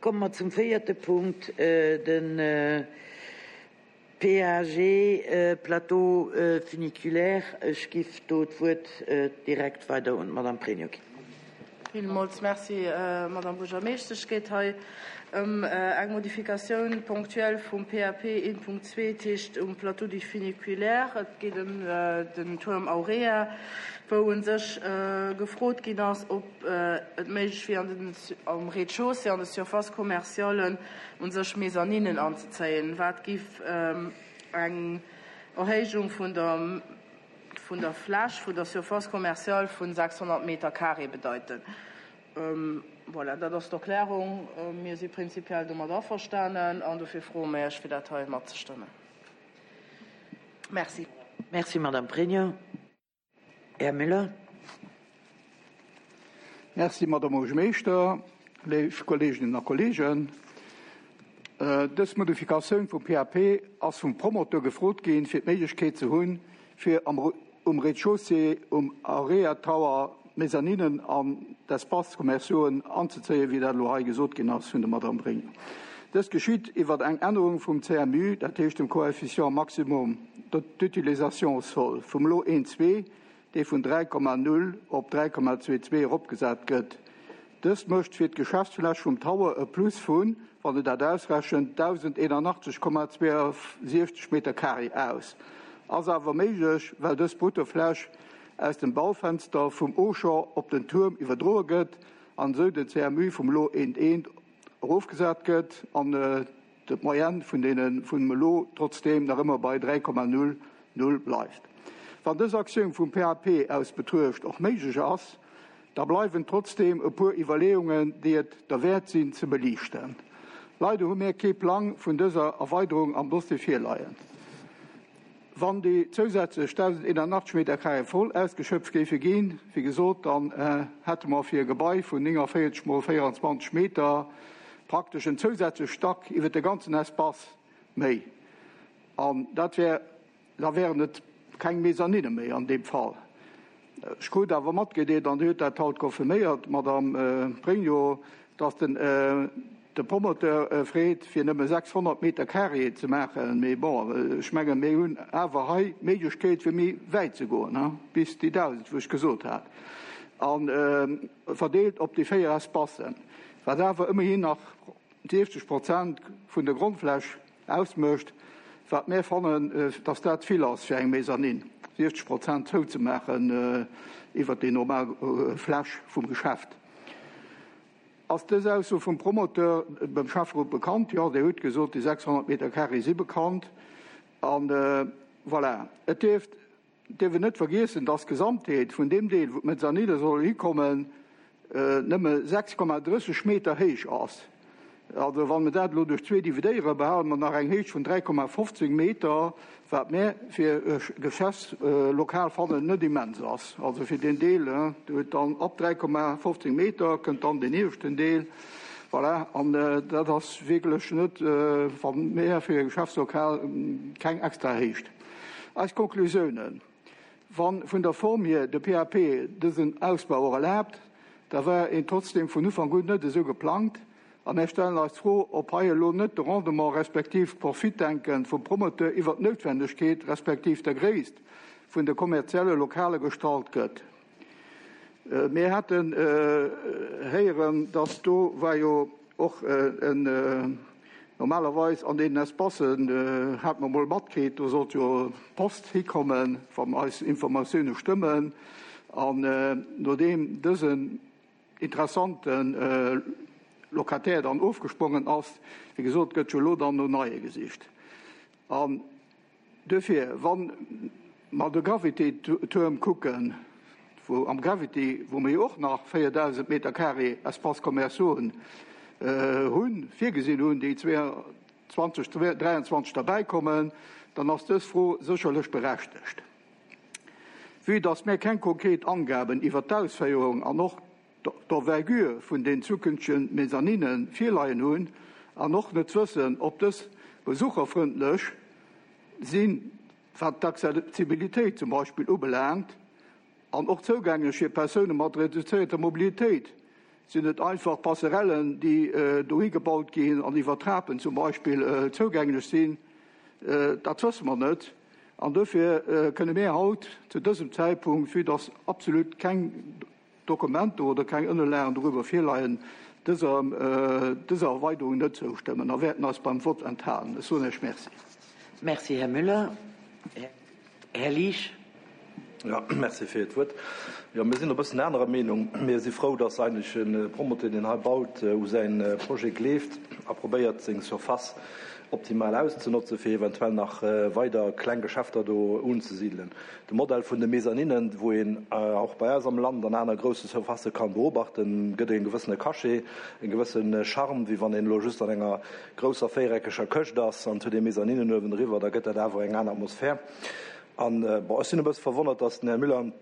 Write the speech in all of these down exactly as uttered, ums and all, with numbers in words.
Komme mer zum véierte Punkt, de P A G, Plateau funiculaire. Ech giff do d'Wuert direkt weider un d'Madame Pregno ginn. Villmools Merci, Madame Buergermeeschtesch. Et geet hei ëm eng Modifikatioun ponctuelle vum P A P eent Punkt zwee, dat heescht um Plateau du funiculaire. Et geet ëm den Tuerm Aurea, wou u sech gefrot ginn ass, ob et méiglech wier, an den, am Rez-de-chaussée, an de Surfaces commerciales u sech Mezzaninen anzezéien, wat giff eng Erhéijung vun der vun der Fläch vun der Surface commerciale vun sechshonnert Meter carré bedeiten. Voilà, dat ass d'Erklärung. Mir si prinzipiell domat averstanen an dofir froe mir Iech, fir dat hei matzestëmmen. Merci. Merci, Madame Pregno. Här Müller. Merci, Madame Buergermeeschter, léif Kolleeginnen a Kolleegen. Dës Modifikatioun vum P A P ass vum Promoteur gefrot ginn, fir d'Méiglechkeet ze hunn, fir am, um Rez-de-chaussée um Aurea Tower Mezzaninen an d'Espaces commerciaux anzezéien, wéi dat elo hei gesot ginn ass vun der Madame Pregno. Dëst geschitt iwwer eng Ännerung vum C M U, dat heescht dem Coefficient maximum d'utilisation sol, vum elo eent Komma zwee, dee vun dräi Komma null op dräi Komma zwee zwee eropgesat gëtt. Dëst mécht fir d'Geschäftsfläch vum Tower e Plus vun, wann een dat ausrechent, dausendeenanachtzeg Komma zwouesiewzeg Meter carré aus. Ass awer méiglech, well dës Bruttofläch aus dem Baufenster vum Auchan op den Tuerm iwwerdroe gëtt an esou den C M U vum elo eent Komma eent erofgesat gëtt an d'Moyenne vun deene vum elo trotzdeem nach ëmmer bei dräi Komma null null bleift. Wann dës Aktioun vum P A P aus betruecht och méiglech ass, da bleiwen trotzdeem e puer Iwwerleeungen, déi et derwäert sinn ze beliichten. Leider hu mir kee Plang vun dëser Erweiderung am Dossier virleien. Wann déi zousätzlech dausendeenanachtzeg Meter carré voll ausgeschöpft géife ginn, wéi gesot, dann hätte mer fir e Gebai vun nénganvéierzeg mol véieranzwanzeg Meter praktesch en zousätzleche Stack iwwer de ganzen Espace méi. An dat wär, da wären et keng Mezzanine méi an deem Fall. Ech krut awer matgedeelt, an Dir hutt dat haut confirméiert, Madame Pregno, dass den de Promoteur freet, fir nëmme sechshonnert Meter carré ze maachen. Mee bon, ech mengen, mir hunn awer hei d'Méiglechkeet, fir méi wäit ze goen, bis déi dausend, wou ech gesot hat, a verdeelt op déi véier Espacen, wat awer ëmmerhin nach siwzeg Prozent vun der Grondfläch ausmécht, wat mir fannen, dass dat vill ass fir eng Mezzanine, siwzeg Prozent zouzemaachen iwwert déi normal Fläch vum Geschäft. Ass dës Ausso vum Promoteur beim Schäfferot bekannt? Jo, Dir hutt gesot, déi sechshonnert Meter carré si bekannt. An voilà, et dierft dierf een net vergiessen, dass d'Gesamtheet vun deem Deel, wou d'Mezzanine soll hikommen, nëmme sechs Komma drësseg Meter héich ass. Also wann mir dat elo duerch zwee dividéieren, behale mer nach eng Héicht vun dräi Komma fofzéng Meter, wat mir fir e Geschäftslokal fannen net immens ass. Also fir den Deel, do huet dann ab dräi Komma fofzéng Meter kënnt dann den ieweschten Deel. Voilà, an dat ass wierklech net, wann mir fir e Geschäftslokal keng extra Héicht. Eis Konklusiounen: Wann vun der Form hier de P A P dësen Ausbau och erlaabt, da war en trotzdem vun Ufank un net esou geplangt. A mir stellen eis d'Fro, ob hei elo net de Rendement respektiv d'Profitdenken vum Promoteur iwwer d'Noutwendegkeet respektiv der Gréisst vun de kommerzielle Lokale gestallt gëtt. Mir haten héieren, dass do war jo och en normalerweis an deenen Espacen, hat mer mol matkritt, do sollt jo Post hikommen, wann eis Informatioune stëmmen. An nodeem dësen interessante Locataire dann ofgesprongen ass, wéi gesot, gëtt jo elo dann no neie gesicht. An duerfir, wann mer de Gravity-Tuerm kucken, wou am Gravity, wou mir jo och nach véierdausend Meter carré Espaces commerciaux hunn, virgesinn hunn, déi zweitausenddräianzwanzeg derbäikommen, dann ass dës Fro sécherlech berechtegt. Vue dass mir keng konkret Angaben iwwer d'Ausféierung an och d'Envergure vun den zukünftege Mezzanine virleien hunn an och net wëssen, ob dës besucherfrëndlech sinn, wat d'Accessibilitéit zum Beispill ubelaangt, an och zougänglech fir Persoune mat reduzéierter Mobilitéit Sinn et einfach Passerellen, déi dohi gebaut ginn an iwwer Trapen zum Beispill zougänglech sinn? Dat wësse mer net. An dofir kënne mir haut zu dësem Zäitpunkt, vue dass absolut keng Dokumenter oder keng Ënnerlagen dorüber virleien, dëser, dëser Erweiderung net zoustëmmen a wäerten eis beim Vott enthalen. Ech soen Iech Merci. Merci, Här Müller. Här Liesch. Ja, merci fir d'Wuert. Jo, mir sinn e bëssen anerer Meenung. Mir si frou, dass eigentlech e Promoteur, deen hei baut, u säi Projet gleeft a probéiert, seng Surface optimal auszenotzen, fir eventuell nach weider kleng Geschäfter do unzesidelen. De Modell vun de Mezzaninen, wou een och bei eis am Land an aner grousse Surfacë kann beobachten, gëtt e gewëssene Cachet, e gewësse Charme, wéi wann een elo just an enger grousser véiereckeger Këscht ass an et huet ee Mezzaninen uewendriwwer, da gëtt dat awer eng aner Atmosphär. An, bon, ech sinn e bësse verwonnert, dass den Här Müller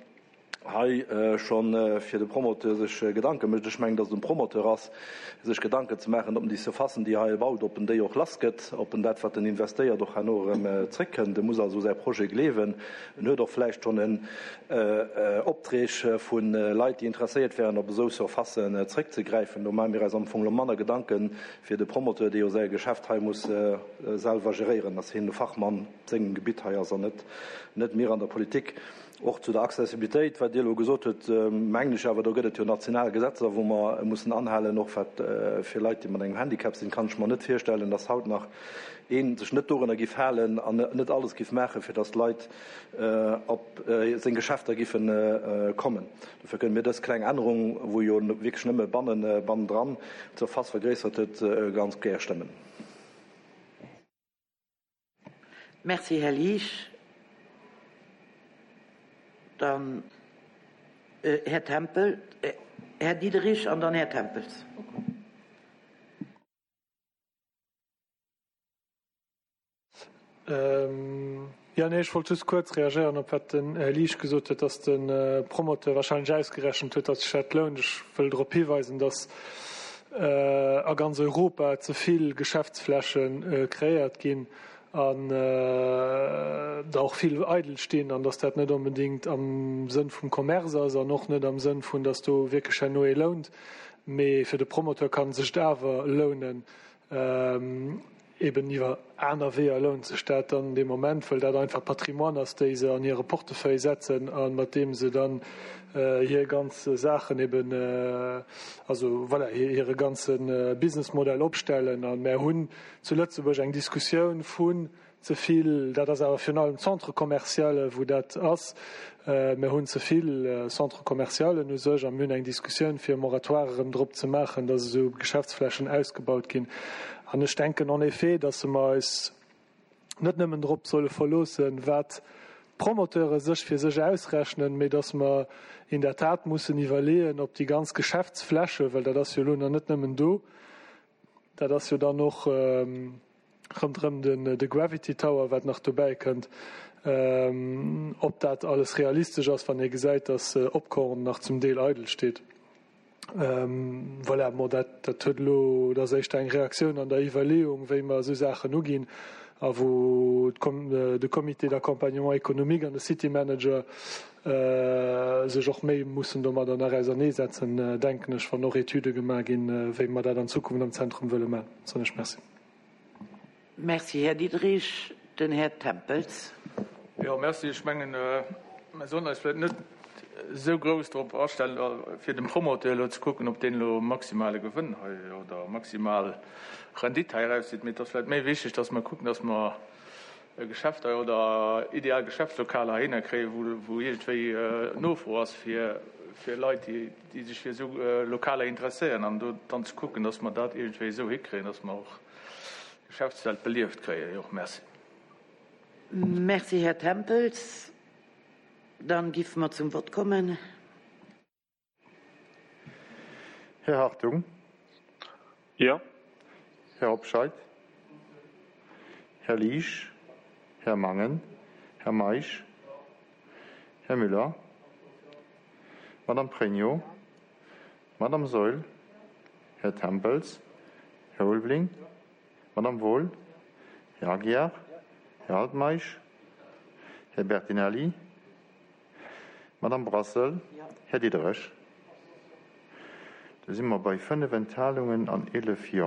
hei scho fir de Promoteur sech Gedanke mécht. Ech mengen, dass et um Promoteur ass, sech Gedanken ze maachen, ob en déi Surfacen, déi hei e baut, ob en déi och lassgëtt, ob en dat, wat en investéiert, och herno erëm zréckkënnt. E muss also u säi Projet gleewen. En huet och vläicht schonn en Opträg vu Leit, déi interesséiert wären, op esou Surfacen zréckzegräifen. Do maache mir eis am Fong elo manner Gedanke fir de Promoteur, dee jo säi Geschäft hei muss selwer geréieren, dass hien de Fachmann op sengem Gebitt hei ass an net net mir an der Politik. Och zu der Accessibilitéit, wat Dir elo gesot hutt, mengen ech awer, do gëtt et jo national Gesetzer, wou mer mussen anhalen, och wat fir Leit, déi mat engem Handicap sinn, kann ech mer net virstellen, dass haut nach ee sech net dorunner giff halen an net alles giff maachen, fir dass d'Leit op seng Geschäfter giffe kommen. Dofir kënne mir dës kleng Ännerung, wou jo wierklech nëmme bannen bannendran d'Surface vergréissert huet, ganz gär stëmmen. Merci, Här Liesch. Dann Här Tempel, Här Diderich an dann Här Tempels. Jo, nee, ech wollt just kuerz reagéieren op wat den Här Liesch gesot huet, dass de Promoteur wahrscheinlech ausgerechent huet, dass sech dat lount. Ech wëll drop hiweisen, dass a ganz Europa ze vill Geschäftsfläche kreéiert ginn an der och vill eidel stinn an dass dat net onbedéngt am Sënn vum Commerce ass an och net am Sënn vun, dass do wierklech herno ee lount. Mee fir de Promoteur kann sech et awer lounen, eben iwwer aner Weeër lount sech dat dann dee Moment, well dat einfach Patrimoine ass, déi se an hire Portefeuille setzen a mat deem se dann hir ganz Saachen eben, also voilà, hire ganze Businessmodell opstellen. A mär hunn zu Lëtzebuerg eng Diskussioun vun ze vill, dat ass awer virun allem Centre-commerciale wou dat ass, mär hunn ze vill Centre-commercialen u sech a mir hunn eng Diskussioun fir e Moratoire erëm drop ze maachen, datt esou Geschäftsflächen ausgebaut ginn. An ech denken en effet, datt mer eis net nëmmen drop solle verloossen, wat d'Promoteure sech fir sech ausrechnen, mee datt mer in der Tat mussen iwwerleeën, ob déi ganz Geschäftsfläche, well dat ass jo elo nach net nëmmen do, dat ass jo dann och ronderëm den de Gravity Tower, wat nach dobäi kënnt, ob dat alles realistesch ass, wann ee gesäit, datt Opkorn nach zum Deel eidel steet. Voilà, bon, dat, dat huet elo, dat ass éischter eng Reaktioun an der Iwwerleeung, wéi mer esou Saachen uginn a wou de Comité d'accompagnement économique an de City Manager sech och méi mussen domadder nach auserneesetzen, denken ech, wann och Etüde gemaach ginn, wéi mer dat an Zukunft am Zentrum wëlle maachen. Soen ech Merci. Merci, Här Diderich. Den Här Tempels. Jo, merci. Ech mengen, mer sollen eis vläicht net esou grouss drop astellen, fir dem Promoteur elo ze kucken, ob deen elo maximale Gewënn hei oder maximal Rendite hei erauszitt. Mee et ass vläicht méi wichteg, dass mer kucken, dass mer Geschäfter oder ideal Geschäftslokaler heihinner kréien, wou, wou iergendwéi Nofro ass fir, fir Leit, déi, déi sech fir esou Lokaler interesséieren. An do dann ze kucken, dass mer dat iergendwéi esou hikréien, dass mer och d'Geschäftswelt belieft kréien. Jo, merci. Merci, Här Tempels. Dann giffe mer zum Vott kommen. Här Hartung. Jo. Här Hobscheit. Här Liesch. Här Mangen. Här Meisch. Här Müller. Madame Pregno. Madame Saeul. Här Tempels. Här Ulveling. Madame Wohl. Här Aguiar. Här Altmeisch. Här Bertinelli. Madame Brassel. Här Diderich. Da si mer bei fënnef Enthalungen an eelef Jo.